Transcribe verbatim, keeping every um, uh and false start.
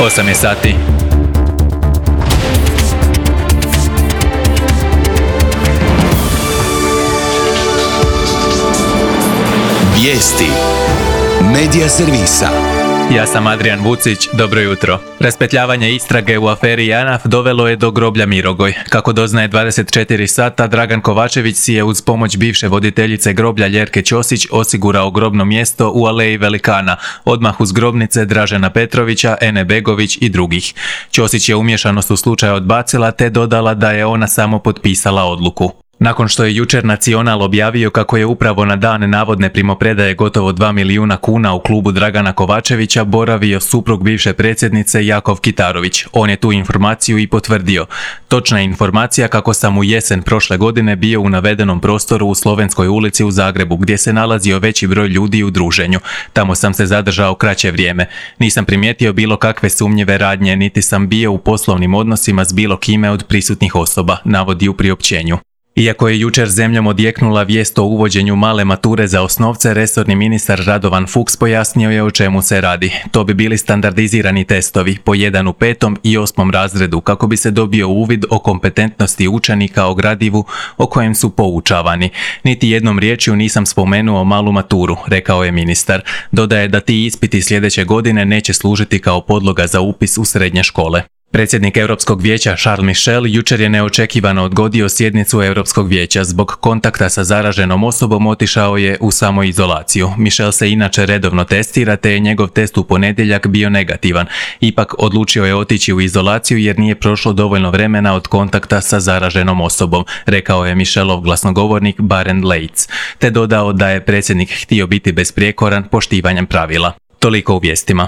osam je sati. Vijesti Medija servisa. Ja sam Adrian Vucić, dobro jutro. Raspetljavanje istrage u aferi JANAF dovelo je do groblja Mirogoj. Kako doznaje dvadeset četiri sata, Dragan Kovačević si je uz pomoć bivše voditeljice groblja Ljerke Ćosić osigurao grobno mjesto u Aleji Velikana, odmah uz grobnice Dražena Petrovića, Ene Begović i drugih. Ćosić je umješanost u slučaju odbacila te dodala da je ona samo potpisala odluku. Nakon što je jučer Nacional objavio kako je upravo na dan navodne primopredaje gotovo dva milijuna kuna u klubu Dragana Kovačevića boravio suprug bivše predsjednice Jakov Kitarović. On je tu informaciju i potvrdio. Točna je informacija kako sam u jesen prošle godine bio u navedenom prostoru u Slovenskoj ulici u Zagrebu, gdje se nalazio veći broj ljudi u druženju. Tamo sam se zadržao kraće vrijeme. Nisam primijetio bilo kakve sumnjive radnje, niti sam bio u poslovnim odnosima s bilo kime od prisutnih osoba, navodi u priopćenju. Iako je jučer zemljom odjeknula vijest o uvođenju male mature za osnovce, resorni ministar Radovan Fuchs pojasnio je o čemu se radi. To bi bili standardizirani testovi, po jedan u petom i osmom razredu, kako bi se dobio uvid o kompetentnosti učenika o gradivu o kojem su poučavani. Niti jednom riječju nisam spomenuo malu maturu, rekao je ministar. Dodaje da ti ispiti sljedeće godine neće služiti kao podloga za upis u srednje škole. Predsjednik Europskog vijeća Charles Michel jučer je neočekivano odgodio sjednicu Europskog vijeća. Zbog kontakta sa zaraženom osobom otišao je u samoizolaciju. Michel se inače redovno testira te je njegov test u ponedjeljak bio negativan. Ipak odlučio je otići u izolaciju jer nije prošlo dovoljno vremena od kontakta sa zaraženom osobom, rekao je Michelov glasnogovornik Barend Leitz, te dodao da je predsjednik htio biti besprijekoran poštivanjem pravila. Toliko u vijestima.